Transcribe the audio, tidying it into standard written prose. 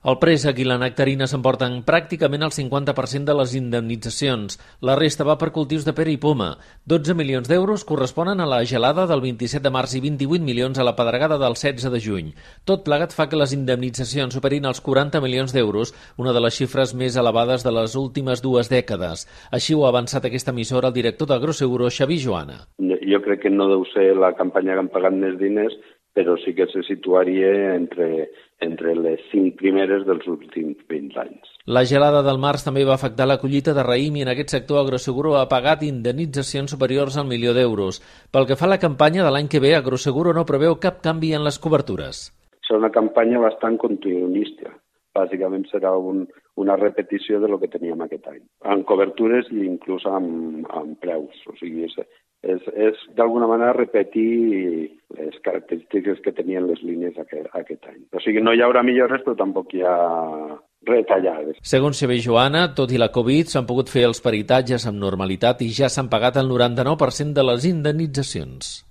El préssec i la nectarina s'emporten pràcticament el 50% de les indemnitzacions. La resta va per cultius de pera i poma. 12 milions d'euros corresponen a la gelada del 27 de març i 28 milions a la pedregada del 16 de juny. Tot plegat fa que les indemnitzacions superin els 40 milions d'euros, una de les xifres més elevades de les últimes 2 dècades. Així ho ha avançat aquesta emissora el director d'Agroseguro, Xavier Joana. Jo crec que no deu ser la campanya que han pagat més diners, però sí que se situaria entre les 5 primeres dels últims 20 anys. La gelada del març també va afectar la collita de raïm i en aquest sector Agroseguro ha pagat indemnitzacions superiors al 1 milió d'euros. Pel que fa a la campanya de l'any que ve, Agroseguro no preveu cap canvi en les cobertures. Serà una campanya bastant continuista. Bàsicament serà una repetició de lo que teníem aquest any, amb cobertures i inclús amb preus. O sigui, és d'alguna manera repetir les característiques que tenien les línies aquest any. O sigui, no hi haurà millores, però tampoc hi ha retallades. Segons Xavier Joana, tot i la Covid, s'han pogut fer els peritatges amb normalitat i ja s'han pagat el 99% de les indemnitzacions.